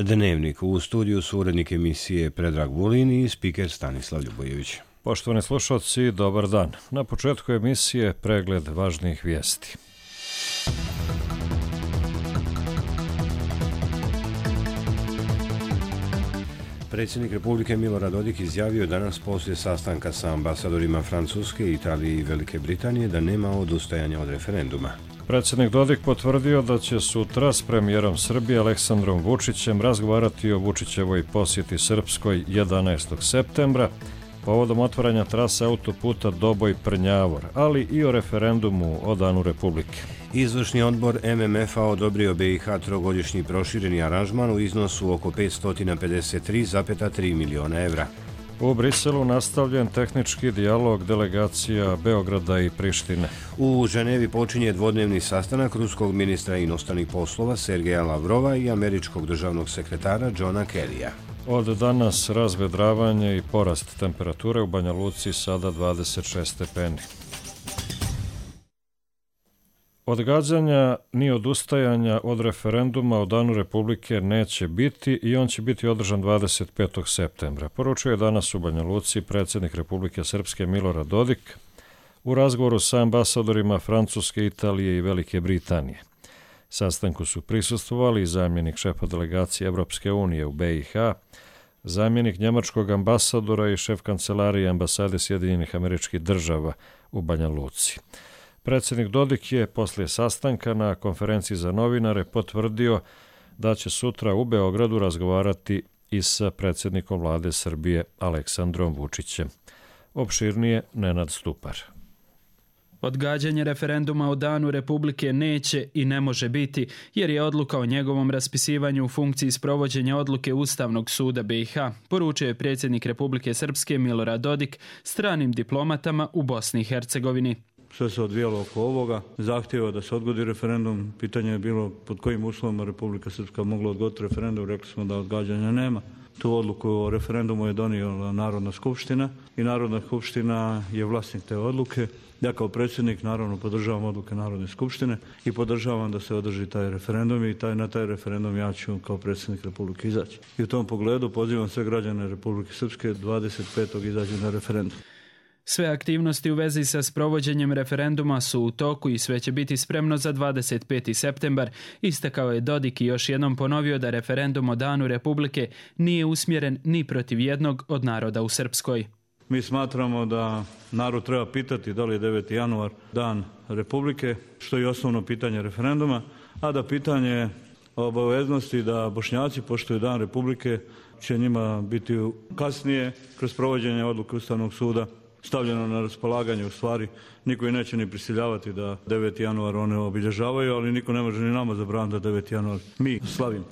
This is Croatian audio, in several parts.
Dnevnik. U studiju su urednik emisije Predrag Vulin i spiker Stanislav Ljubojević. Poštovani slušalci, dobar dan. Na početku emisije pregled važnijih vijesti. Predsjednik Republike Milorad Dodik izjavio danas poslije sastanka sa ambasadorima Francuske, Italije i Velike Britanije da nema odustajanja od referenduma. Predsjednik Dodik potvrdio da će sutra s premijerom Srbije Aleksandrom Vučićem razgovarati o Vučićevoj posjeti Srpskoj 11. septembra povodom otvaranja trase autoputa Doboj-Prnjavor, ali i o referendumu o Danu Republike. Izvršni odbor MMF-a odobrio BiH trogodišnji prošireni aranžman u iznosu oko 553,3 miliona evra. U Briselu nastavljen tehnički dijalog delegacija Beograda i Prištine. U Ženevi počinje dvodnevni sastanak ruskog ministra inostranih poslova Sergeja Lavrova i američkog državnog sekretara Johna Kerrya. Od danas razvedravanje i porast temperature u Banja Luci, sada 26 stepeni. Odgađanja ni odustajanja od referenduma o Danu Republike neće biti i on će biti održan 25. septembra. Poručio je danas u Banja Luci predsjednik Republike Srpske Milorad Dodik u razgovoru sa ambasadorima Francuske, Italije i Velike Britanije. Sastanku su prisustvovali zamjenik šefa delegacije Evropske unije u BiH, zamjenik njemačkog ambasadora i šef kancelarije ambasade Sjedinjenih Američkih Država u Banja Luci. Predsjednik Dodik je poslije sastanka na konferenciji za novinare potvrdio da će sutra u Beogradu razgovarati i sa predsjednikom vlade Srbije Aleksandrom Vučićem. Opširnije Nenad Stupar. Odgađanje referenduma o Danu Republike neće i ne može biti, jer je odluka o njegovom raspisivanju u funkciji sprovođenja odluke Ustavnog suda BiH, poručio je predsjednik Republike Srpske Milorad Dodik stranim diplomatama u Bosni i Hercegovini. Sve se odvijalo oko ovoga, zahtjeva da se odgodi referendum, pitanje je bilo pod kojim uslovima Republika Srpska mogla odgoditi referendum, rekli smo da odgađanja nema. Tu odluku o referendumu je donijela Narodna skupština i Narodna skupština je vlasnik te odluke. Ja kao predsjednik naravno podržavam odluke Narodne skupštine i podržavam da se održi taj referendum i na taj referendum ja ću kao predsjednik Republike izaći. I u tom pogledu pozivam sve građane Republike Srpske 25. izaći na referendum. Sve aktivnosti u vezi sa sprovođenjem referenduma su u toku i sve će biti spremno za 25. septembar, istakao je Dodik i još jednom ponovio da referendum o Danu Republike nije usmjeren ni protiv jednog od naroda u Srpskoj. Mi smatramo da narod treba pitati da li je 9. januar dan Republike, što je osnovno pitanje referenduma, a da pitanje obaveznosti da Bošnjaci poštuju dan Republike će njima biti kasnije kroz provođenje odluke Ustavnog suda stavljeno na raspolaganje. U stvari niko i neće ni prisiljavati da 9. januar one obilježavaju, ali niko ne može ni nama zabraniti da 9. januar mi slavimo.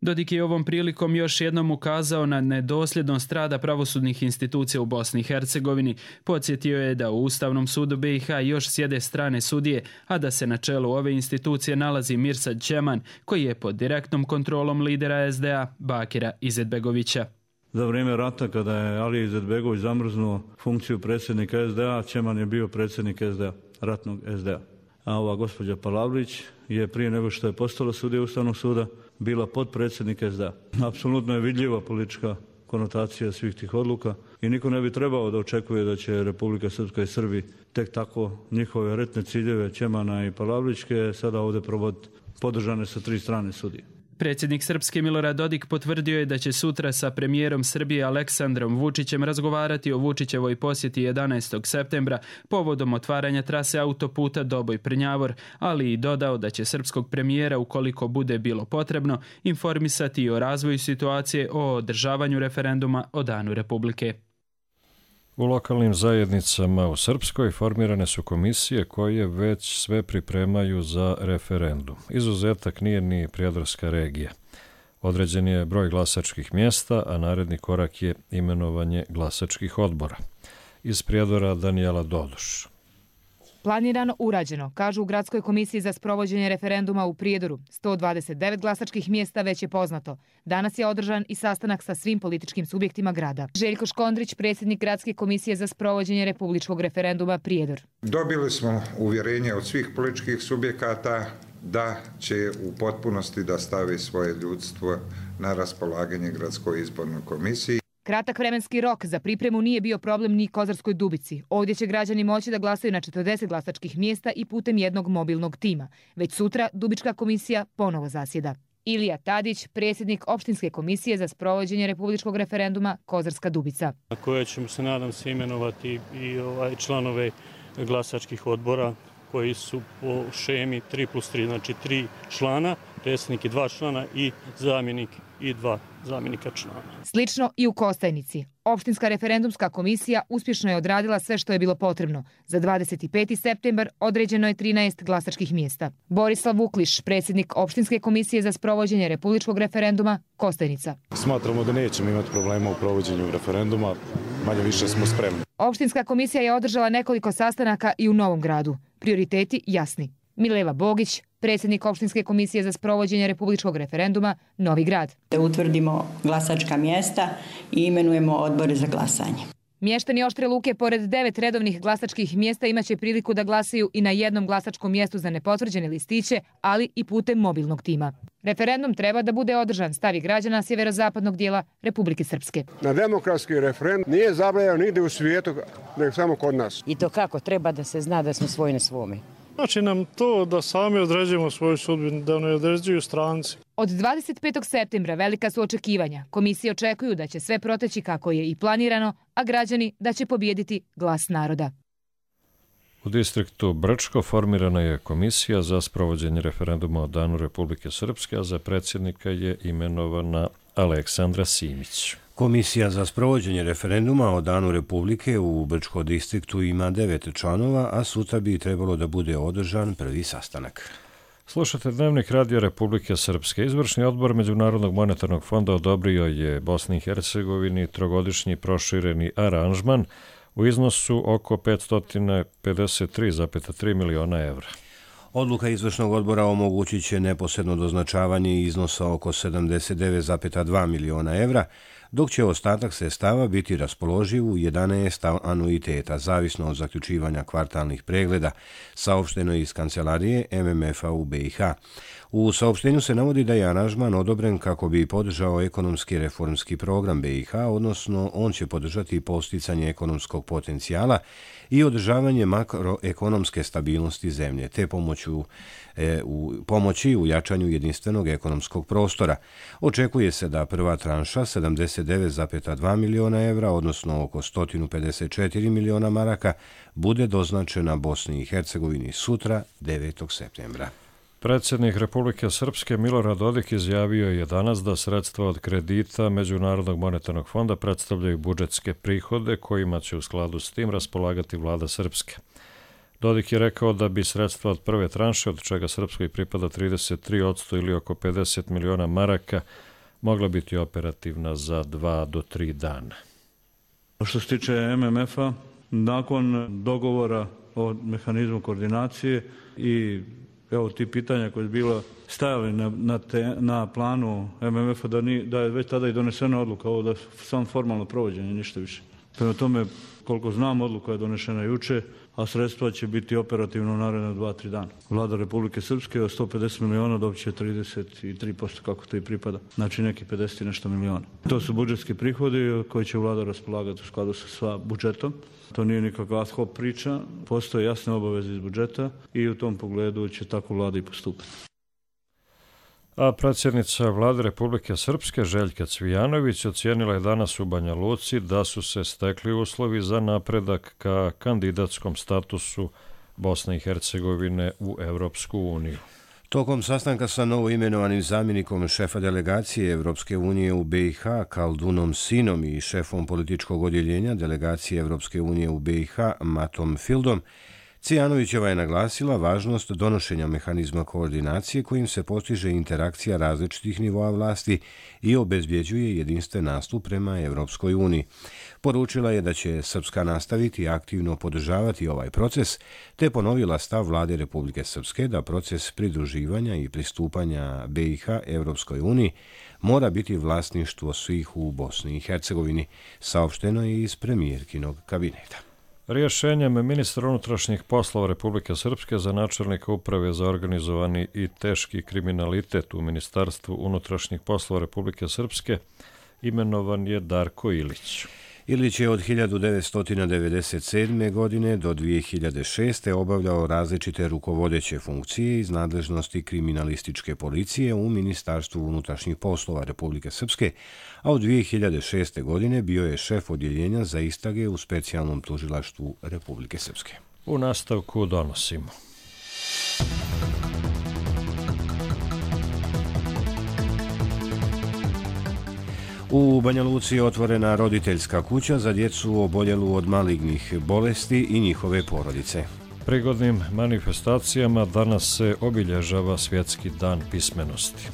Dodik je ovom prilikom još jednom ukazao na nedosljednost rada pravosudnih institucija u Bosni i Hercegovini. Podsjetio je da u Ustavnom sudu BiH još sjede strane sudije, a da se na čelu ove institucije nalazi Mirsad Čeman, koji je pod direktnom kontrolom lidera SDA Bakira Izetbegovića. Za vrijeme rata, kada je Alija Izetbegović zamrznuo funkciju predsjednika SDA, Čeman je bio predsjednik SDA, ratnog SDA. A ova gospođa Palavlić je prije nego što je postala sudija Ustavnog suda bila potpredsjednik SDA. Apsolutno je vidljiva politička konotacija svih tih odluka i niko ne bi trebao da očekuje da će Republika Srpska i Srbi tek tako njihove retne ciljeve Čemana i Palavlićke sada ovdje provoditi, podržane sa 3 strane sudije. Predsjednik Srpske Milorad Dodik potvrdio je da će sutra sa premijerom Srbije Aleksandrom Vučićem razgovarati o Vučićevoj posjeti 11. septembra povodom otvaranja trase autoputa Doboj-Prnjavor, ali i dodao da će srpskog premijera, ukoliko bude bilo potrebno, informisati i o razvoju situacije o održavanju referenduma o Danu Republike. U lokalnim zajednicama u Srpskoj formirane su komisije koje već sve pripremaju za referendum. Izuzetak nije ni Prijedorska regija. Određen je broj glasačkih mjesta, a naredni korak je imenovanje glasačkih odbora. Iz Prijedora Danijela Dodoš. Planirano, urađeno, kažu u Gradskoj komisiji za sprovođenje referenduma u Prijedoru. 129 glasačkih mjesta već je poznato. Danas je održan i sastanak sa svim političkim subjektima grada. Željko Škondrić, predsjednik Gradske komisije za sprovođenje republičkog referenduma Prijedor. Dobili smo uvjerenje od svih političkih subjekata da će u potpunosti da stavi svoje ljudstvo na raspolaganje Gradskoj izbornoj komisiji. Kratak vremenski rok za pripremu nije bio problem ni Kozarskoj Dubici. Ovdje će građani moći da glasaju na 40 glasačkih mjesta i putem jednog mobilnog tima. Već sutra Dubička komisija ponovo zasjeda. Ilija Tadić, predsjednik opštinske komisije za sprovođenje republičkog referenduma Kozarska Dubica. Na koje ćemo se, nadam se, imenovati i članove glasačkih odbora koji su po šemi 3+3, znači 3 člana, predsjednik i 2 člana i zamjenik i 2 zamjenika člana. Slično i u Kostajnici. Opštinska referendumska komisija uspješno je odradila sve što je bilo potrebno. Za 25. septembar određeno je 13 glasačkih mjesta. Borislav Vukliš, predsjednik opštinske komisije za sprovođenje republičkog referenduma Kostajnica. Smatramo da nećemo imati problema u provođenju referenduma, manje više smo spremni. Opštinska komisija je održala nekoliko sastanaka i u Novom Gradu. Prioriteti jasni. Mileva Bogić, predsjednik opštinske komisije za sprovođenje republičkog referenduma Novi Grad. Da utvrdimo glasačka mjesta i imenujemo odbore za glasanje. Mještani Oštre Luke pored 9 redovnih glasačkih mjesta imaće priliku da glasaju i na jednom glasačkom mjestu za nepotvrđene listiće, ali i putem mobilnog tima. Referendum treba da bude održan, stavi građana sjeverozapadnog dijela Republike Srpske. Na demokratski referendum nije zabranjeno nigdje u svijetu, nego samo kod nas. I to kako treba da se zna da smo svoji na svome. Znači nam to da sami određujemo svoju sudbinu, da ne određuju stranci. Od 25. septembra velika su očekivanja. Komisije očekuju da će sve proteći kako je i planirano, a građani da će pobijediti glas naroda. U distriktu Brčko formirana je komisija za sprovođenje referenduma o Danu Republike Srpske, a za predsjednika je imenovana Aleksandra Simić. Komisija za sprovođenje referenduma o Danu Republike u Brčko distriktu ima 9 članova, a sutra bi trebalo da bude održan prvi sastanak. Slušate Dnevnik Radija Republike Srpske. Izvršni odbor Međunarodnog monetarnog fonda odobrio je Bosni i Hercegovini trogodišnji prošireni aranžman u iznosu oko 553,3 miliona evra. Odluka izvršnog odbora omogućit će neposredno doznačavanje iznosa oko 79,2 miliona evra, dok će ostatak sredstava biti raspoloživ u 11 anuiteta, zavisno od zaključivanja kvartalnih pregleda, saopšteno iz kancelarije MMF-a u BiH. U saopštenju se navodi da je aranžman odobren kako bi podržao ekonomski reformski program BiH, odnosno on će podržati posticanje ekonomskog potencijala i održavanje makroekonomske stabilnosti zemlje, te pomoći u jačanju jedinstvenog ekonomskog prostora. Očekuje se da prva tranša 79,2 miliona evra, odnosno oko 154 miliona maraka, bude doznačena Bosni i Hercegovini sutra 9. septembra. Predsjednik Republike Srpske Milorad Dodik izjavio je danas da sredstva od kredita Međunarodnog monetarnog fonda predstavljaju budžetske prihode kojima će u skladu s tim raspolagati vlada Srpske. Dodik je rekao da bi sredstva od prve tranše, od čega Srpskoj pripada 33% ili oko 50 miliona maraka, mogla biti operativna za 2 do 3 dana. Što se tiče MMF-a, nakon dogovora o mehanizmu koordinacije i evo ti pitanja koje je bilo stajali na planu MMF-a, da je već tada i donesena odluka, ovo da samo formalno provođenje, ništa više. Prema tome, koliko znam, odluka je donešena juče, a sredstva će biti operativno u naredne 2-3 dana. Vlada Republike Srpske od 150 miliona dobit će 33%, kako to i pripada. Znači neki 50 i nešto miliona. To su budžetski prihodi koji će vlada raspolagati u skladu sa budžetom. To nije nikakva ad hoc priča, postoje jasne obaveze iz budžeta i u tom pogledu će tako vlada i postupati. A predsjednica vlade Republike Srpske Željka Cvijanović ocijenila je danas u Banja Luci da su se stekli uslovi za napredak ka kandidatskom statusu Bosne i Hercegovine u Evropsku uniju. Tokom sastanka sa novoimenovanim zamjenikom šefa delegacije Evropske unije u BiH Kaldunom Sinom i šefom političkog odjeljenja delegacije Evropske unije u BiH Matom Fildom, Cvijanovićeva je naglasila važnost donošenja mehanizma koordinacije kojim se postiže interakcija različitih nivoa vlasti i obezbjeđuje jedinstven nastup prema Evropskoj uniji. Poručila je da će Srpska nastaviti aktivno podržavati ovaj proces, te ponovila stav vlade Republike Srpske da proces pridruživanja i pristupanja BiH Evropskoj uniji mora biti vlasništvo svih u Bosni i Hercegovini, saopšteno je iz premijerkinog kabineta. Rješenjem ministra unutrašnjih poslova Republike Srpske za načelnika uprave za organizovani i teški kriminalitet u Ministarstvu unutrašnjih poslova Republike Srpske imenovan je Darko Ilić. Ilić je od 1997. godine do 2006. obavljao različite rukovodeće funkcije iz nadležnosti kriminalističke policije u Ministarstvu unutrašnjih poslova Republike Srpske, a od 2006. godine bio je šef odjeljenja za istrage u specijalnom tužilaštvu Republike Srpske. U nastavku donosimo. U Banja Luci je otvorena roditeljska kuća za djecu oboljelu od malignih bolesti i njihove porodice. Prigodnim manifestacijama danas se obilježava Svjetski dan pismenosti.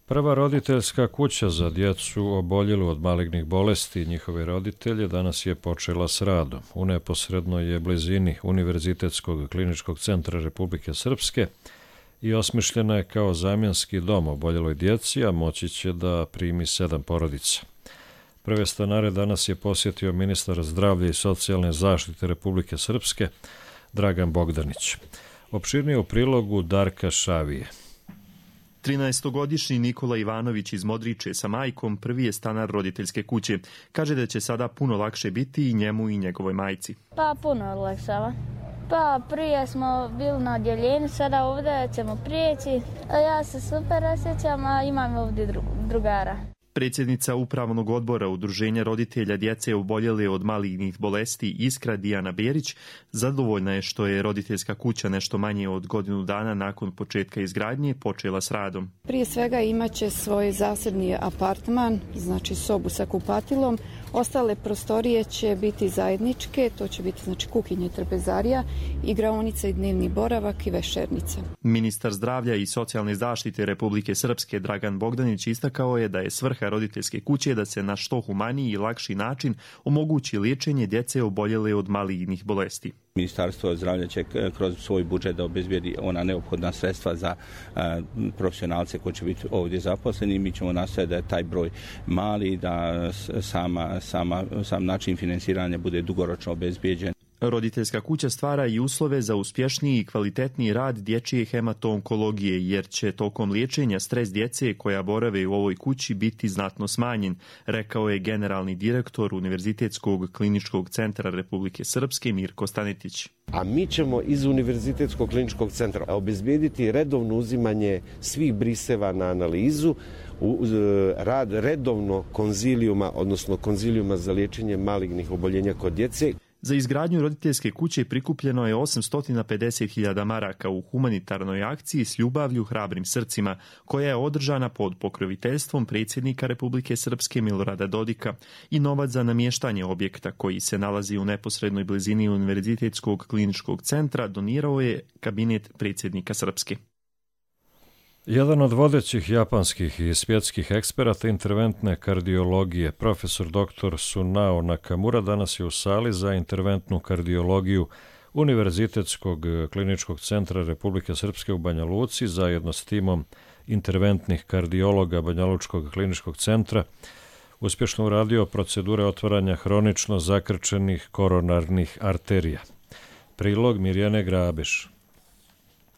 Prva roditeljska kuća za djecu oboljelu od malignih bolesti i njihove roditelje danas je počela s radom. U neposrednoj je blizini Univerzitetskog kliničkog centra Republike Srpske i osmišljena je kao zamjenski dom oboljeloj djeci, a moći će da primi 7 porodica. Prve stanare danas je posjetio ministar zdravlja i socijalne zaštite Republike Srpske, Dragan Bogdanić. Opširnije u prilogu Darka Šavije. 13-godišnji Nikola Ivanović iz Modriče sa majkom prvi je stanar roditeljske kuće. Kaže da će sada puno lakše biti i njemu i njegovoj majci. Pa puno olakšava. Pa prije smo bili na odjeljenju, sada ovdje ćemo prijeći. Ja se super osjećam, a imam ovdje drugara. Predsjednica Upravnog odbora Udruženja roditelja djece oboljele od malignih bolesti Iskra Dijana Berić zadovoljna je što je roditeljska kuća nešto manje od godinu dana nakon početka izgradnje počela s radom. Prije svega imaće svoj zasebni apartman, znači sobu sa kupatilom. Ostale prostorije će biti zajedničke, to će biti znači kuhinja, trpezarija, igraonica i dnevni boravak i večernica. Ministar zdravlja i socijalne zaštite Republike Srpske Dragan Bogdanić istakao je da je svrha roditeljske kuće da se na što humaniji i lakši način omogući liječenje djece oboljele od malignih bolesti. Ministarstvo zdravlja će kroz svoj budžet da obezbijedi ona neophodna sredstva za profesionalce koji će biti ovdje zaposleni. Mi ćemo nastaviti da je taj broj mali, da sam način financiranja bude dugoročno obezbijeđen. Roditeljska kuća stvara i uslove za uspješniji i kvalitetniji rad dječje hemato-onkologije, jer će tokom liječenja stres djece koja borave u ovoj kući biti znatno smanjen, rekao je generalni direktor Univerzitetskog kliničkog centra Republike Srpske Mirko Stanetić. A mi ćemo iz Univerzitetskog kliničkog centra obezbijediti redovno uzimanje svih briseva na analizu, rad redovno konzilijuma, odnosno konzilijuma za liječenje malignih oboljenja kod djece. Za izgradnju roditeljske kuće prikupljeno je 850.000 maraka u humanitarnoj akciji S ljubavlju hrabrim srcima, koja je održana pod pokroviteljstvom predsjednika Republike Srpske Milorada Dodika, i novac za namještanje objekta koji se nalazi u neposrednoj blizini Univerzitetskog kliničkog centra donirao je kabinet predsjednika Srpske. Jedan od vodećih japanskih i svjetskih eksperata interventne kardiologije, profesor dr. Sunao Nakamura, danas je u sali za interventnu kardiologiju Univerzitetskog kliničkog centra Republike Srpske u Banja Luci zajedno s timom interventnih kardiologa Banja Lučkog kliničkog centra uspješno uradio procedure otvaranja hronično zakrčenih koronarnih arterija. Prilog Mirjane Grabeš.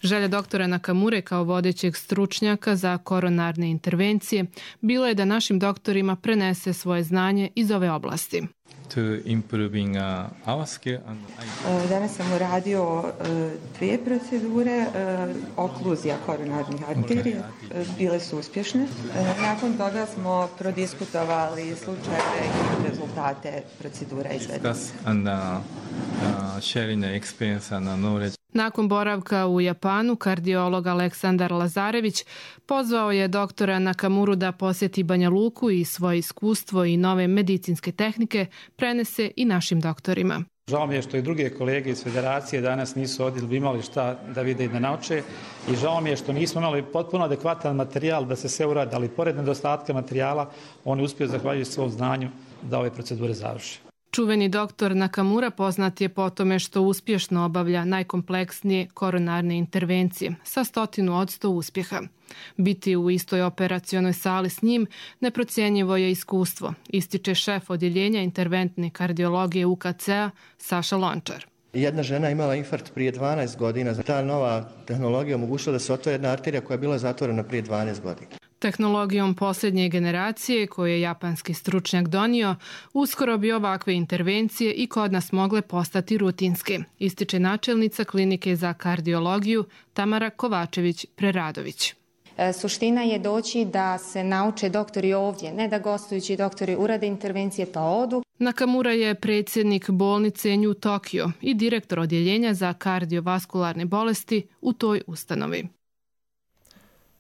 Želja doktora Nakamure kao vodećeg stručnjaka za koronarne intervencije bilo je da našim doktorima prenese svoje znanje iz ove oblasti. Danas sam uradio 2 procedure, okluzija koronarnih arterija, bile su uspješne. Nakon toga smo prodiskutovali slučajeve i rezultate procedura izvedene. Nakon boravka u Japanu, kardiolog Aleksandar Lazarević pozvao je doktora Nakamuru da posjeti Banja Luku i svoje iskustvo i nove medicinske tehnike prenese i našim doktorima. Žao mi je što i druge kolege iz federacije danas nisu ovdje, bi imali šta da vide i da nauče, i žao mi je što nismo imali potpuno adekvatan materijal da se sve uradi, ali pored nedostatka materijala oni uspiju zahvaljujući svom znanju da ove procedure završe. Čuveni doktor Nakamura poznat je po tome što uspješno obavlja najkompleksnije koronarne intervencije sa 100% uspjeha. Biti u istoj operacionoj sali s njim neprocjenjivo je iskustvo, ističe šef odjeljenja interventne kardiologije UKC-a Saša Lončar. Jedna žena imala infarkt prije 12 godina. Ta nova tehnologija omogućila da se otvori jedna arterija koja je bila zatvorena prije 12 godina. Tehnologijom posljednje generacije koju je japanski stručnjak donio, uskoro bi ovakve intervencije i kod nas mogle postati rutinske, ističe načelnica klinike za kardiologiju Tamara Kovačević-Preradović. Suština je doći da se nauče doktori ovdje, ne da gostujući doktori urade intervencije pa odu. Nakamura je predsjednik bolnice New Tokyo i direktor odjeljenja za kardiovaskularne bolesti u toj ustanovi.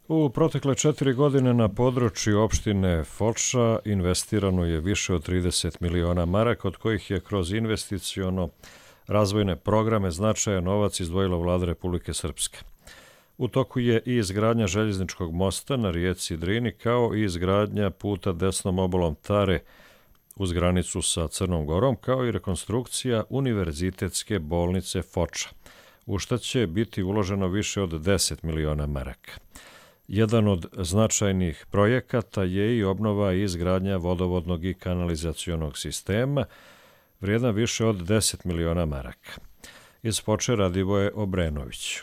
U protekle 4 godine na području opštine Foča investirano je više od 30 miliona maraka, od kojih je kroz investiciono razvojne programe značajan novac izdvojila Vlada Republike Srpske. U toku je i izgradnja željezničkog mosta na rijeci Drini, kao i izgradnja puta desnom obalom Tare uz granicu sa Crnom Gorom, kao i rekonstrukcija Univerzitetske bolnice Foča, u što će biti uloženo više od 10 miliona maraka. Jedan od značajnih projekata je i obnova i izgradnja vodovodnog i kanalizacionog sistema, vrijedan više od 10 miliona maraka. Iz Foče Radivoje Obrenović.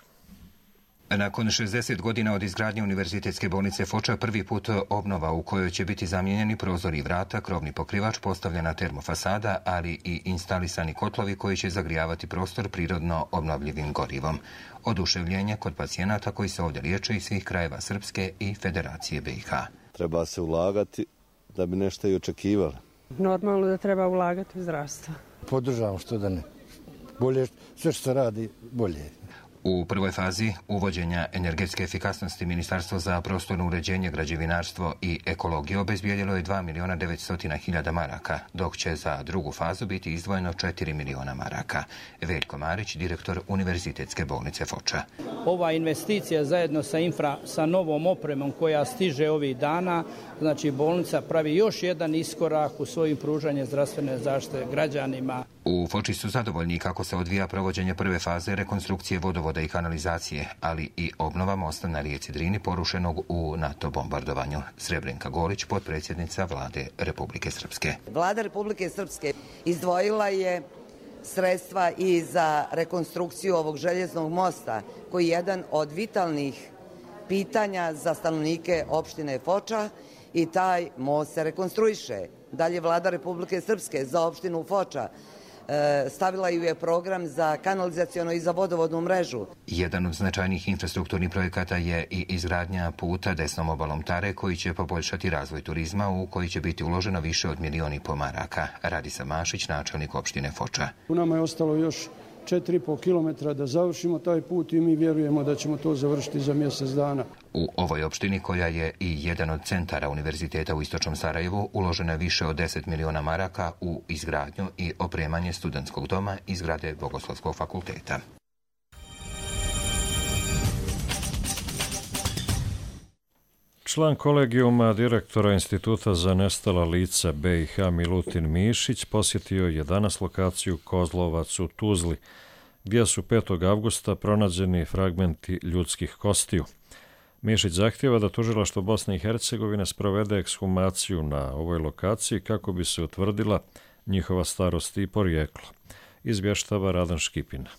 Nakon 60 godina od izgradnje Univerzitetske bolnice Foča, prvi put obnova u kojoj će biti zamijenjeni prozori i vrata, krovni pokrivač, postavljena termofasada, ali i instalisani kotlovi koji će zagrijavati prostor prirodno obnovljivim gorivom. Oduševljenje kod pacijenata koji se ovdje liječe iz svih krajeva Srpske i Federacije BiH. Treba se ulagati da bi nešto i očekivali. Normalno da treba ulagati u zdravstvo. Podržavam što da ne. Bolje, sve što se radi, bolje. U prvoj fazi uvođenja energetske efikasnosti Ministarstvo za prostorno uređenje, građevinarstvo i ekologiju obezbijedilo je 2.900.000 maraka, dok će za drugu fazu biti izdvojeno 4 miliona maraka. Veljko Marić, direktor Univerzitetske bolnice Foča. Ova investicija zajedno sa novom opremom koja stiže ovih dana, znači bolnica pravi još jedan iskorak u svojim pružanju zdravstvene zaštite građanima. U Foči su zadovoljni kako se odvija provođenje prve faze rekonstrukcije vodovoda i kanalizacije, ali i obnova mosta na rijeci Drini porušenog u NATO bombardovanju. Srebrenka Golić, potpredsjednica Vlade Republike Srpske. Vlada Republike Srpske izdvojila je sredstva i za rekonstrukciju ovog željeznog mosta, koji je jedan od vitalnih pitanja za stanovnike opštine Foča, i taj most se rekonstruiše. Dalje, Vlada Republike Srpske za opštinu Foča stavila ju je program za kanalizacionu i za vodovodnu mrežu. Jedan od značajnih infrastrukturnih projekata je i izgradnja puta desnom obalom Tare, koji će poboljšati razvoj turizma, u koji će biti uloženo više od 1,5 miliona maraka. Radisa Mašić, načelnik opštine Foča. U nama je ostalo još 4,5 kilometra da završimo taj put i mi vjerujemo da ćemo to završiti za mjesec dana. U ovoj opštini, koja je i jedan od centara univerziteta u istočnom Sarajevu, uloženo je više od 10 miliona maraka u izgradnju i opremanje studentskog doma i zgrade Bogoslovskog fakulteta. Član kolegijuma direktora Instituta za nestala lica BiH Milutin Mišić posjetio je danas lokaciju Kozlovac u Tuzli, gdje su 5. avgusta pronađeni fragmenti ljudskih kostiju. Mišić zahtjeva da tužilaštvo Bosne i Hercegovine sprovede ekshumaciju na ovoj lokaciji kako bi se utvrdila njihova starost i porijeklo. Izvještava Radan Škipina.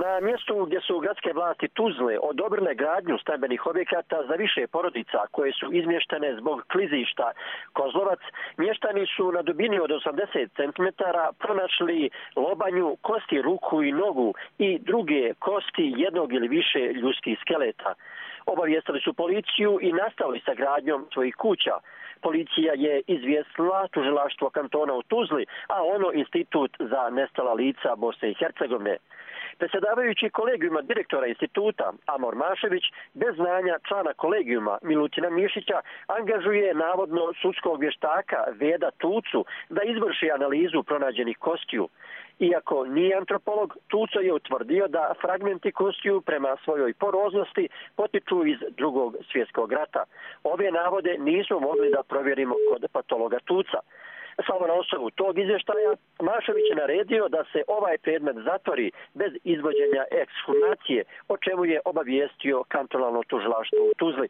Na mjestu gdje su gradske vlasti Tuzle odobrile gradnju stambenih objekata za više porodica koje su izmještene zbog klizišta Kozlovac, mještani su na dubini od 80 cm pronašli lobanju, kosti ruku i nogu i druge kosti jednog ili više ljudskih skeleta. Obavijestili su policiju i nastavili sa gradnjom svojih kuća. Policija je izvijestila tužilaštvo kantona u Tuzli, a ono Institut za nestala lica Bosne i Hercegovine. Predsjedavajući kolegijuma direktora instituta Amor Mašević, bez znanja člana kolegijuma Milutina Mišića, angažuje navodno sudskog vještaka Veda Tucu da izvrši analizu pronađenih kostiju. Iako nije antropolog, Tuco je utvrdio da fragmenti kostiju prema svojoj poroznosti potiču iz Drugog svjetskog rata. Ove navode nismo mogli da provjerimo kod patologa Tuca. Samo na osnovu tog izvještaja Mašović je naredio da se ovaj predmet zatvori bez izvođenja ekshumacije, o čemu je obavijestio kantonalno tužilaštvo u Tuzli.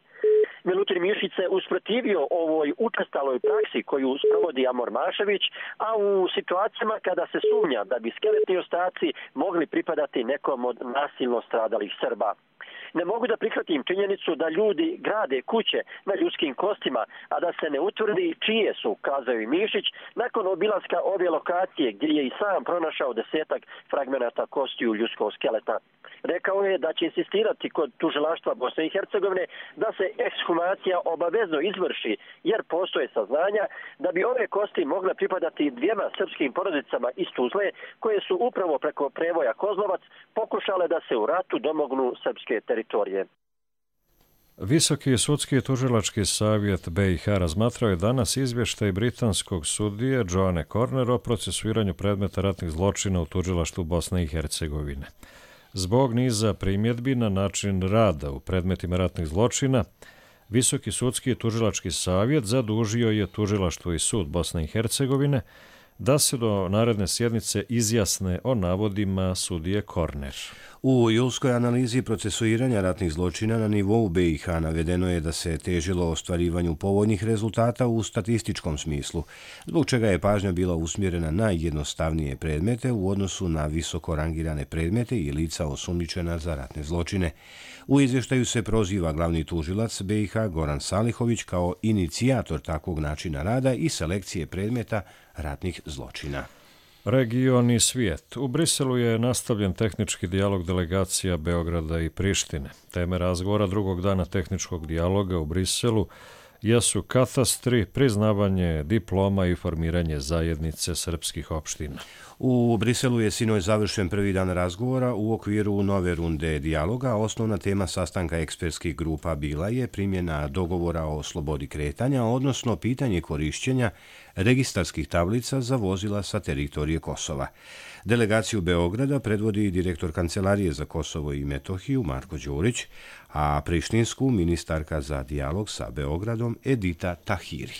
Milutin Mišić se usprotivio ovoj učestaloj praksi koju sprovodi Amor Mašović, a u situacijama kada se sumnja da bi skeletni ostaci mogli pripadati nekom od nasilno stradalih Srba. Ne mogu da prihvatim činjenicu da ljudi grade kuće na ljudskim kostima, a da se ne utvrdi čije su, kazao i Mišić, nakon obilaska ove lokacije gdje je i sam pronašao 10-ak fragmenata kostiju ljudskog skeleta. Rekao je da će insistirati kod tužilaštva Bosne i Hercegovine da se ekshumacija obavezno izvrši, jer postoje saznanja da bi ove kosti mogle pripadati dvijema srpskim porodicama iz Tuzle, koje su upravo preko prevoja Kozlovac pokušale da se u ratu domognu srpske teritorije. Visoki sudski tužilački savjet BiH razmatrao je danas izvještaj britanskog sudije Joanne Corner o procesuiranju predmeta ratnih zločina u tužilaštvu Bosne i Hercegovine. Zbog niza primjedbi na način rada u predmetima ratnih zločina, Visoki sudski tužilački savjet zadužio je tužilaštvo i sud Bosne i Hercegovine da se do naredne sjednice izjasne o navodima sudije Corner. U julskoj analizi procesuiranja ratnih zločina na nivou BiH navedeno je da se težilo ostvarivanju povoljnih rezultata u statističkom smislu, zbog čega je pažnja bila usmjerena na jednostavnije predmete u odnosu na visoko rangirane predmete i lica osumnjičena za ratne zločine. U izvještaju se proziva glavni tužilac BiH Goran Salihović kao inicijator takvog načina rada i selekcije predmeta ratnih zločina. Region i svijet. U Briselu je nastavljen tehnički dijalog delegacija Beograda i Prištine. Teme razgovora drugog dana tehničkog dijaloga u Briselu jesu katastri, priznavanje diploma i formiranje zajednice srpskih opština. U Briselu je sinoć završen prvi dan razgovora u okviru nove runde dijaloga. Osnovna tema sastanka ekspertskih grupa bila je primjena dogovora o slobodi kretanja, odnosno pitanje korišćenja registarskih tablica za vozila sa teritorije Kosova. Delegaciju Beograda predvodi direktor Kancelarije za Kosovo i Metohiju Marko Đurić, a prištinsku ministarka za dijalog sa Beogradom Edita Tahiri.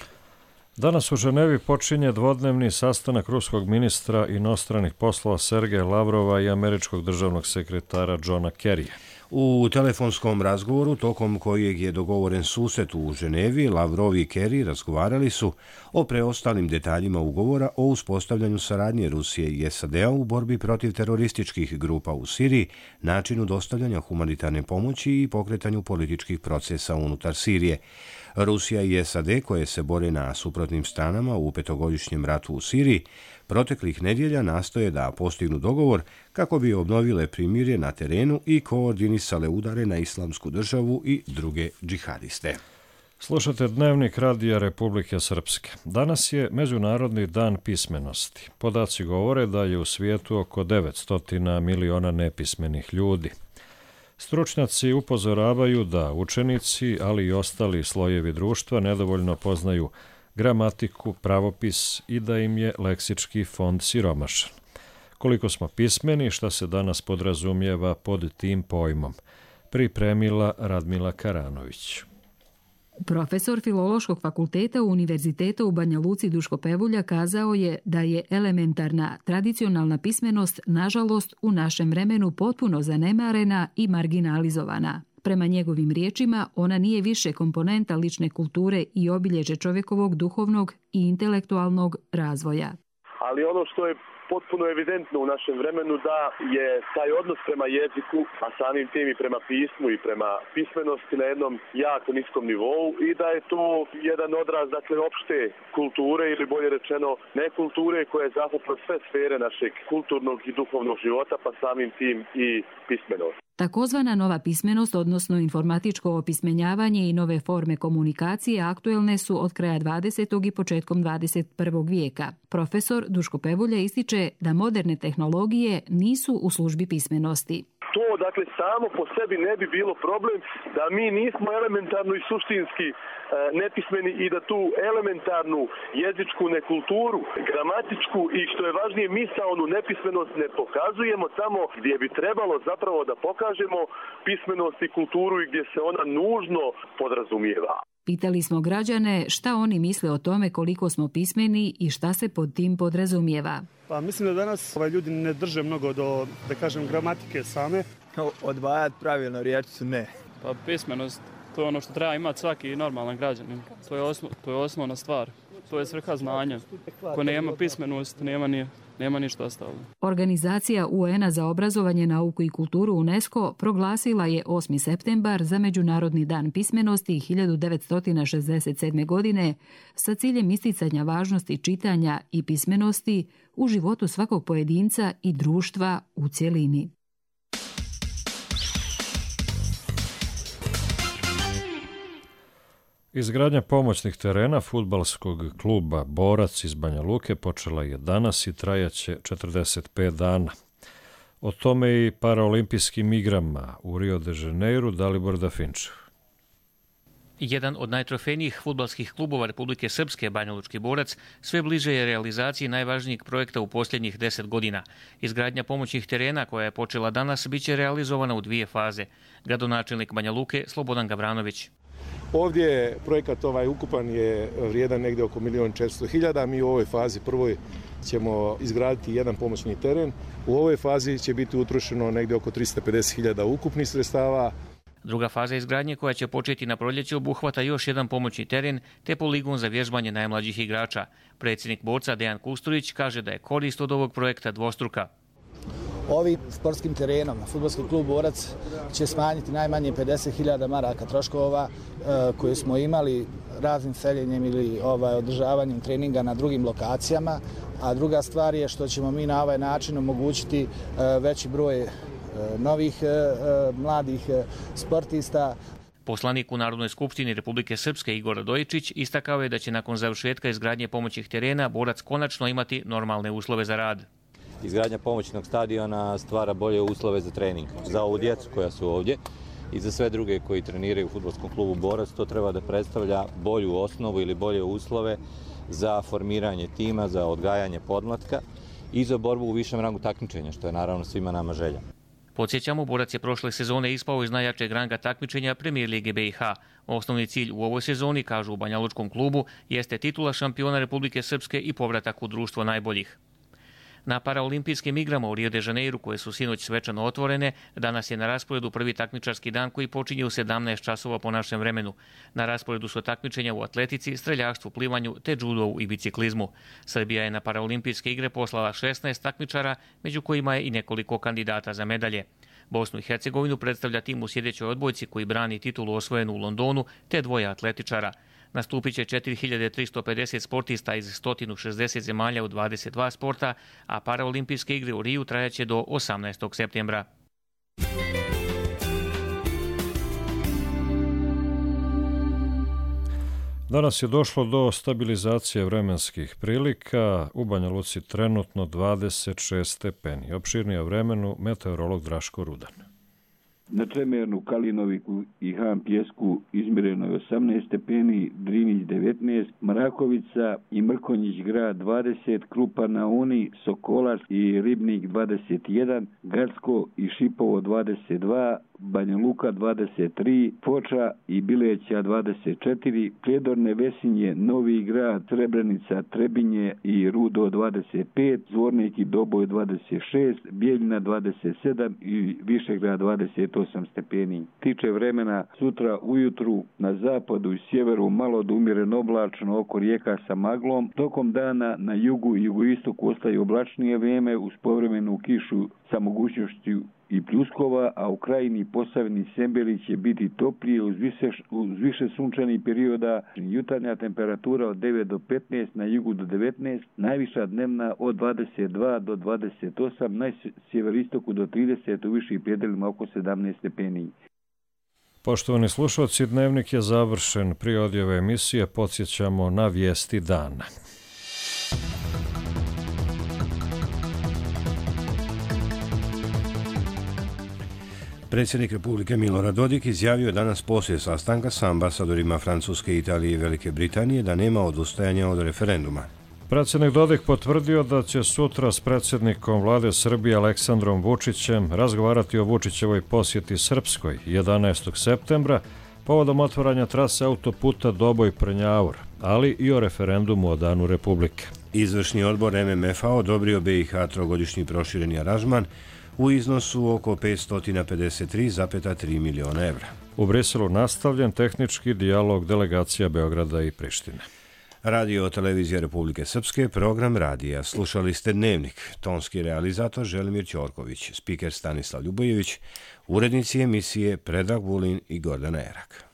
Danas u Ženevi počinje dvodnevni sastanak ruskog ministra inostranih poslova Sergeja Lavrova i američkog državnog sekretara Johna Kerrya. U telefonskom razgovoru, tokom kojeg je dogovoren susret u Ženevi, Lavrov i Kerry razgovarali su o preostalim detaljima ugovora o uspostavljanju saradnje Rusije i SAD-a u borbi protiv terorističkih grupa u Siriji, načinu dostavljanja humanitarne pomoći i pokretanju političkih procesa unutar Sirije. Rusija i SAD, koje se bore na suprotnim stranama u petogodišnjem ratu u Siriji, proteklih nedjelja nastoje da postignu dogovor kako bi obnovile primirje na terenu i koordinisale udare na Islamsku državu i druge džihadiste. Slušate Dnevnik Radija Republike Srpske. Danas je Međunarodni dan pismenosti. Podaci govore da je u svijetu oko 900 miliona nepismenih ljudi. Stručnjaci upozoravaju da učenici, ali i ostali slojevi društva nedovoljno poznaju gramatiku, pravopis i da im je leksički fond siromašan. Koliko smo pismeni, šta se danas podrazumijeva pod tim pojmom, pripremila Radmila Karanović. Profesor Filološkog fakulteta Univerziteta u Banja Luci Duško Pevulja kazao je da je elementarna tradicionalna pismenost, nažalost, u našem vremenu potpuno zanemarena i marginalizovana. Prema njegovim riječima, ona nije više komponenta lične kulture i obilježe čovjekovog duhovnog i intelektualnog razvoja. Ali ono što je potpuno evidentno u našem vremenu da je taj odnos prema jeziku, a samim tim i prema pismu i prema pismenosti na jednom jako niskom nivou i da je to jedan odraz, dakle, opšte kulture ili bolje rečeno nekulture koja je zahvatila sve sfere našeg kulturnog i duhovnog života, pa samim tim i pismenost. Takozvana nova pismenost, odnosno informatičko opismenjavanje i nove forme komunikacije aktuelne su od kraja 20. i početkom 21. vijeka. Profesor Duško Pevulja ističe da moderne tehnologije nisu u službi pismenosti. To, dakle, samo po sebi ne bi bilo problem da mi nismo elementarno i suštinski nepismeni i da tu elementarnu jezičku nekulturu, gramatičku i, što je važnije, misaonu nepismenost ne pokazujemo tamo gdje bi trebalo zapravo da pokažemo pismenost i kulturu i gdje se ona nužno podrazumijeva. Pitali smo građane šta oni misle o tome koliko smo pismeni i šta se pod tim podrazumijeva. Pa mislim da danas ljudi ne drže mnogo do, da kažem, gramatike same. Odvajati pravilno riječicu ne. Pa pismenost, to je ono što treba imati svaki normalan građanin. To je osnovna stvar. To je svrha znanja. Ko nema pismenost, nema ništa ostalo. Organizacija UN-a za obrazovanje, nauku i kulturu UNESCO proglasila je 8. septembar za Međunarodni dan pismenosti 1967. godine sa ciljem isticanja važnosti čitanja i pismenosti u životu svakog pojedinca i društva u cjelini. Izgradnja pomoćnih terena fudbalskog kluba Borac iz Banja Luke počela je danas i trajaće 45 dana. O tome i paraolimpijskim igrama u Rio de Janeiru Dalibor Dafinčev. Jedan od najtrofejnijih fudbalskih klubova Republike Srpske, Banjalučki Borac, sve bliže je realizaciji najvažnijeg projekta u posljednjih 10 godina. Izgradnja pomoćnih terena koja je počela danas biće realizovana u 2 faze. Gradonačelnik Banja Luke Slobodan Gavranović. Ovdje je projekat ukupan je vrijedan negdje oko 1.400.000. Mi u ovoj fazi prvoj ćemo izgraditi jedan pomoćni teren. U ovoj fazi će biti utrošeno negdje oko 350.000 ukupnih sredstava. Druga faza izgradnje koja će početi na proljeće obuhvata još jedan pomoćni teren te poligon za vježbanje najmlađih igrača. Predsjednik Borca Dejan Kusturić kaže da je korist od ovog projekta dvostruka. Ovim sportskim terenom fudbalski klub Borac će smanjiti najmanje 50.000 maraka troškova koje smo imali raznim seljenjem ili održavanjem treninga na drugim lokacijama, a druga stvar je što ćemo mi na ovaj način omogućiti veći broj novih mladih sportista. Poslanik u Narodnoj skupštini Republike Srpske Igor Radojičić istakao je da će nakon završetka izgradnje pomoćnih terena Borac konačno imati normalne uslove za rad. Izgradnja pomoćnog stadiona stvara bolje uslove za trening. Za ovu djecu koja su ovdje i za sve druge koji treniraju u fudbalskom klubu Borac, to treba da predstavlja bolju osnovu ili bolje uslove za formiranje tima, za odgajanje podmlatka i za borbu u višem rangu takmičenja, što je naravno svima nama želja. Podsjećamo, Borac je prošle sezone ispao iz najjačeg ranga takmičenja Premier lige BiH. Osnovni cilj u ovoj sezoni, kažu u Banjalučkom klubu, jeste titula šampiona Republike Srpske i povratak u društvo najboljih. Na paraolimpijskim igrama u Rio de Janeiru, koje su sinoć svečano otvorene, danas je na rasporedu prvi takmičarski dan koji počinje u 17 časova po našem vremenu. Na rasporedu su takmičenja u atletici, streljaštvu, plivanju te džudovu i biciklizmu. Srbija je na paraolimpijske igre poslala 16 takmičara, među kojima je i nekoliko kandidata za medalje. Bosnu i Hercegovinu predstavlja tim u sljedećoj odbojci koji brani titulu osvojenu u Londonu, te 2 atletičara. Nastupit će 4350 sportista iz 160 zemalja u 22 sporta, a paraolimpijske igre u Riju trajaće do 18. septembra. Danas je došlo do stabilizacije vremenskih prilika. U Banja Luci trenutno 26 stepeni. Opširnije o vremenu meteorolog Draško Rudan. Na Čemernu, Kalinoviku i Han Pjesku izmjereno je 18 stepeni, Drinić 19, Mrakovica i Mrkonjić grad 20, Krupa na Uni, Sokolac i Ribnik 21, Gacko i Šipovo 22, Banja Luka 23, Foča i Bileća 24, Prijedorne, Vesinje, Novi grad, Srebrenica, Trebinje i Rudo 25, Zvornik i Doboj 26, Bijeljina 27 i Višegrad 28 stepeni. Tiče vremena, sutra ujutru na zapadu i sjeveru malo do umjereno oblačno oko rijeka sa maglom. Tokom dana na jugu i jugoistoku ostaje oblačnije vrijeme uz povremenu kišu sa mogućnošću i pljuskova, a u krajini Posavini Sembeli će biti toplije uz više sunčanih perioda. Jutarnja temperatura od 9 do 15, na jugu do 19, najviša dnevna od 22 do 28, na sjeveristoku do 30, u viših predjelima oko 17 stepeni. Poštovani slušalci, dnevnik je završen. Prije odjave emisije podsjećamo na vijesti dana. Predsjednik Republike Milorad Dodik izjavio je danas poslije sastanka sa ambasadorima Francuske, Italije i Velike Britanije da nema odustajanja od referenduma. Predsjednik Dodik potvrdio da će sutra s predsjednikom vlade Srbije Aleksandrom Vučićem razgovarati o Vučićevoj posjeti Srpskoj 11. septembra, povodom otvaranja trase autoputa Doboj-Prnjavor, ali i o referendumu o Danu Republike. Izvršni odbor MMF-a odobrio BiH trogodišnji prošireni aranžman u iznosu oko 553,3 miliona evra. U Briselu nastavljen tehnički dijalog delegacija Beograda i Prištine. Radio televizija Republike Srpske, program radija. Slušali ste Dnevnik. Tonski realizator Želimir Ćorković, spiker Stanislav Ljubojević, urednici emisije Predrag Vulin i Gordana Erak.